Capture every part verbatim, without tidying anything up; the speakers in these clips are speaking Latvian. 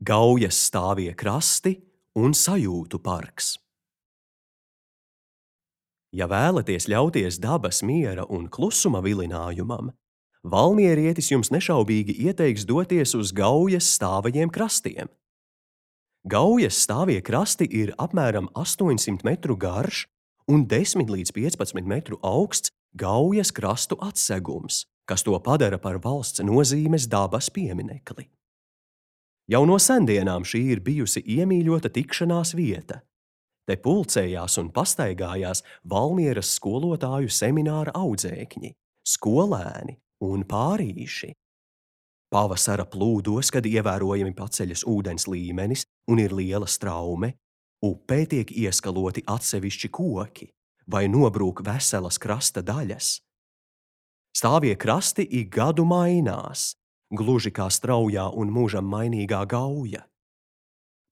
Gaujas stāvie krasti un sajūtu parks. Ja vēlaties ļauties dabas miera un klusuma vilinājumam, valmierietis jums nešaubīgi ieteiks doties uz Gaujas stāvajiem krastiem. Gaujas stāvie krasti ir apmēram astoņsimt metru garš un desmit līdz piecpadsmit metru augsts Gaujas krastu atsegums, kas to padara par valsts nozīmes dabas pieminekli. Jau no sendienām šī ir bijusi iemīļota tikšanās vieta. Te pulcējās un pastaigājās Valmieras skolotāju semināra audzēkņi, skolēni un pārīši. Pavasara plūdos, kad ievērojami paceļas ūdens līmenis un ir liela straume, upē tiek ieskaloti atsevišķi koki vai nobrūk veselas krasta daļas. Stāvie krasti ik gadu mainās, gluži kā straujā un mūžam mainīgā Gauja.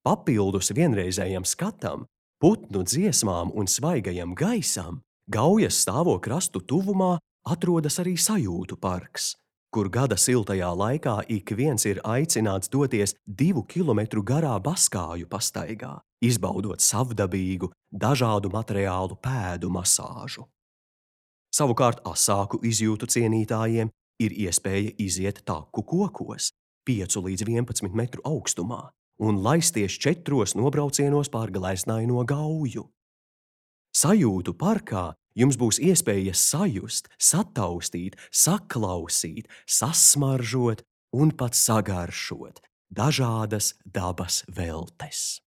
Papildus vienreizējam skatam, putnu dziesmām un svaigajam gaisam, Gaujas stāvo krastu tuvumā atrodas arī sajūtu parks, kur gada siltajā laikā ik viens ir aicināts doties divu kilometru garā baskāju pastaigā, izbaudot savdabīgu, dažādu materiālu pēdu masāžu. Savukārt asāku izjūtu cienītājiem ir iespēja iziet taku kokos, piecu līdz vienpadsmit metru augstumā, un laisties četros nobraucienos pār gleznaino Gauju. Sajūtu parkā jums būs iespēja sajust, sataustīt, saklausīt, sasmaržot un pat sagaršot dažādas dabas veltes.